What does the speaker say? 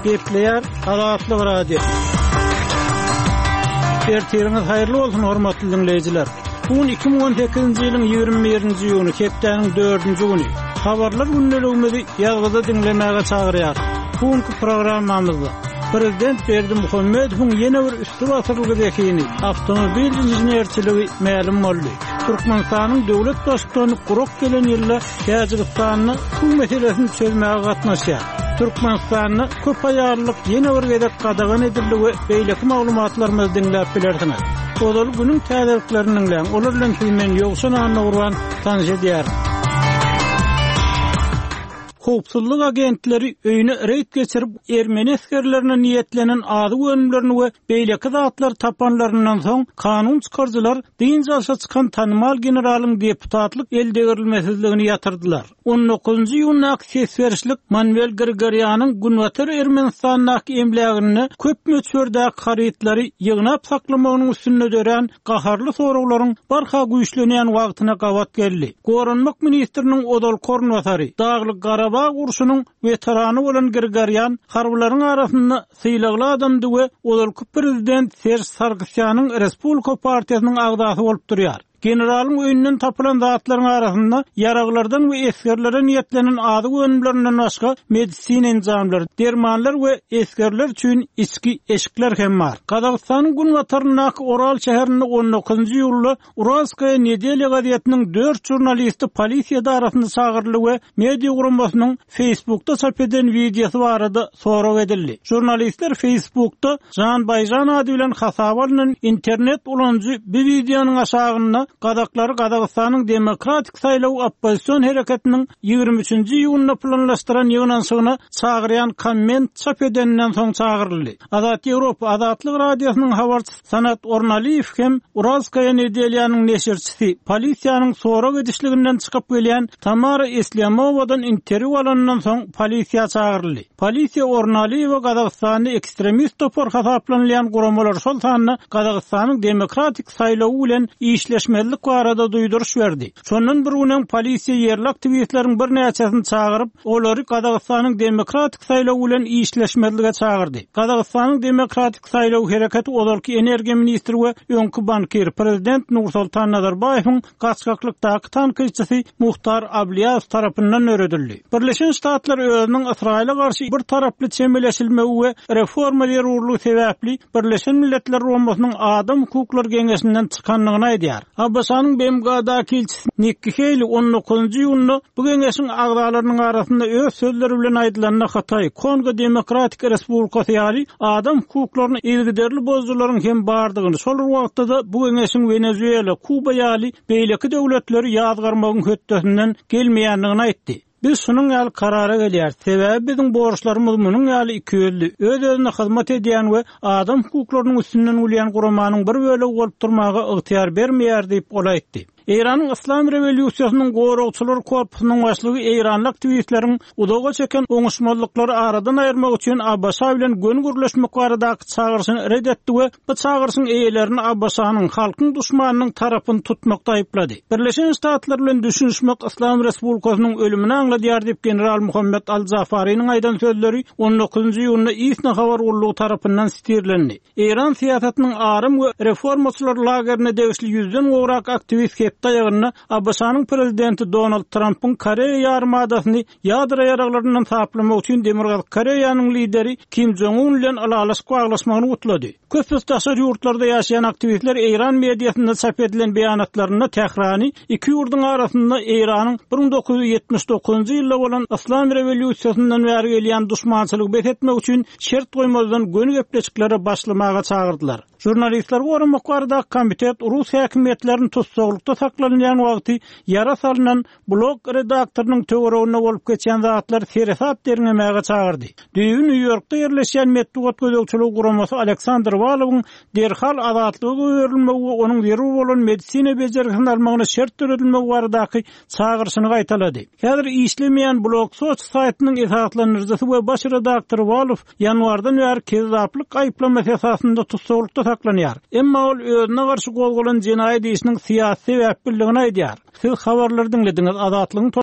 Gepleýär Azatlyk Radiosy. Ertiriňiz haýyrly bolsun, hormatly diňleýjiler. Bu gün 2018-nji ýylyň 21-nji iýuny, hepdäniň dördünji güni. Habarlar gündeligimizi ýazgyda diňlemäge çagyrýar. Bu günki programmamyzda Prezident Berdimuhamedowyň ýene bir üsti basyrylgy zehini, awtomobil inženerçiligi mälim boldy. Türkmenistanyň döwlet baştutany gurak gelen ýylda Täjigistanda suw meselesini çözmäge gatnaşýar. Türkmenistanda köp aýallylyk ýene bir gezek gadagan edildi we beýleki maglumatlarymyzy diňläp bilersiňiz. Ozaly günüň täzeliklerini diňläň, olar bilen sizi men Ýowşan Annagurban tanyş edýärin. Howpsuzlyk agentleri öýüne reýd geçirip, ermeni esgerlerine niýetlenen azyk önümlerini we beýleki zatlary tapanlaryndan soň, kanun çykaryjylar dynç alşa çykan tanymal generalyň deputatlyk eldegrilmesizligini ýatyrdylar. On dokuzynjy iýundaky ses berişlik Manwel Grigorýanyň Günbatar Ermenistandaky emläginde köp möçberdäki harytlary ýygnap saklamagynyň üstünde dörän gaharly soraglaryň barha güýçlenýän wagtyna gabat geldi. Goranmak ministriniň ozalky orunbasary, Daglyk-Garabag urşunyň weterany bolan Grigorýan harbylaryň arasynda sylagly adamdy we ozalky prezident Serž Sargsýanyň Respublika partiýasynyň agzasy bolup durýar. Generalyň öýünden tapylan zatlaryň arasynda ýaraglardan we esgerlere niýetlenen azyk önümlerinden başga medisina enjamlary, dermanlar we esgerler üçin içki eşikler hem bar. Gazagystanyň günbataryndaky Oral şäherinde on dokuzynjy iýulda Uralskaýa nedelýa gazetiniň dört žurnalisti polisiýa edarasyna çagyryldy we media guramasynyň Facebookda çap eden wideosy barada sorag edildi. Žurnalistler Facebookda Žan Baýžan ady bilen hasaba alnan internet ulanyjy bu wideonyň aşagynda gazaklary Gazagystanyň Demokratik saýlaw oppozision hereketiniň 23-nji iýunda planlaşdyran ýygnanyşygyna çagyrýan komment çap edeninden soň çagyryldy. Azat Ýewropa Azatlyk Radiosynyň habarçysy Sanat Ornalyýew hem Uralskaýa nedelýanyň neşirçisi, polisiýanyň sorag edişliginden çykyp gelýän Tamara Eslýamowadan interwýu alanyndan soň polisiýa çagyryldy. Polisiýa Ornalyýewe Gazagystanda ekstremist topar hasaplanylýan guramalar, şol sanda Gazagystanyň Demokratik saýlawy bilen işleşmezlik barada duýduryş berdi. Şondan bir gün öň polisiýa ýerli aktiwistleriň birnäçesini çagyryp, olary Gazagystanyň Demokratik saýlawy bilen işleşmezlige çagyrdy. Gazagystanyň Demokratik saýlaw hereketi ozalky energiýa ministri we öňki bankir, prezident Nursoltan Nazarbaýewiň gaçgaklykdaky tankytçysy Muhtar Ablýazow tarapyndan döredildi. Birleşen Ştatlar özüniň Ysraýyla garşy bir taraply çemeleşilmegi we reforma zerurlygy sebäpli Birleşen Milletler Guramasynyň Adam hukuklary geňeşinden çykandygyny aýdýar. ABŞ-nyň BMG-daky ilçisi Nikki Heýli on dokuzynjy iýunda bu geňeşiň agzalarynyň arasynda öz sözleri bilen aýdylanda Hytaý, Kongo Demokratik Respublikasy ýaly adam hukuklaryny yzygiderli bozujylaryň hem bardygyny, şol bir wagtda-da bu geňeşiň Wenezuela, Kuba ýaly beýleki döwletleri ýazgarmagyň hötdesinden gelmeýändigini aýtdy. Biz şunuň ýaly karara gelýäris, sebäbi biziň borçlarymyz munuň ýaly ikiýüzli, öz-özüne hyzmat edýän we adam hukuklarynyň üstünden gülýän guramanyň bir bölegi bolup durmaga ygtyýar bermeýär diýip, ol aýtdy. Eýranyň Yslam rewolýusiýasynyň goragçylar korpusynyň başlygy eýranly aktiwistleriň uzaga çeken oňuşmazlyklary aradan aýyrmak üçin ABŞ bilen göni gürleşmek baradaky çagyryşyny ret etdi we bu çagyryşyň eýelerini ABŞ-nyň halkyň duşmanynyň tarapyny tutmakda aýyplady. Birleşen Ştatlar bilen düşünişmek Yslam Respublikasynyň ölümini aňladýar diýip, general Muhammet al-Jafariniň aýdan sözleri on dokuzynjy iýunda ISNA habar gullugy tarapyndan sitirlendi. Eýran syýasatynyň aram we reformaçylar lagerine degişli ýüzden gowrak aktiwist hepde aýagynda ABŞ-nyň prezidenti Donald Trampyň Koreýa ýarymadasyny ýadro ýaraglaryndan saplamak üçin Demirgazyk Koreýanyň lideri Kim Jong Un bilen ylalaşyk baglaşmagyny gutlady. Köpüsi daşary ýurtlarda ýaşaýan aktiwistler eýran mediasynda çap edilen beýanatlarynda Tährany iki ýurduň arasynda Eýranyň 1979-njy ýylda bolan Yslam rewolýusiýasyndan bäri gelýän duşmançylygy bes etmek üçin şert goýmazdan göni gepleşiklere başlamaga çagyrdylar. Žurnalistleri goramak baradaky komitet rus häkimiýetlerini tussaglykda saklanylýan wagty ýara salnan Blog redaktorynyň töwereginde bolup geçýän zatlary seresap derňemäge çagyrdy. Düýbi Nýu-Ýorkda ýerleşýän metbugat gözegçiligi guramasy Aleksandr Walowyň derhal azatlyga goýberilmegi we onuň zerur bolan medisina bejergisini almagyna şert döredilmegi baradaky çagyryşyny gaýtalady. Häzir işlemeýän Blog Soç saýtynyň esaslandyryjysy we baş redaktory Walow ýanwardan bäri kezzaplyk aýyplamasy esasynda tussaglykda saklanýar. Emma ol özüne garşy gozgalan jenaýat işiniň syýasy sebäpliligini aýdýar. Siz habarlary diňlediňiz Azatlygyň.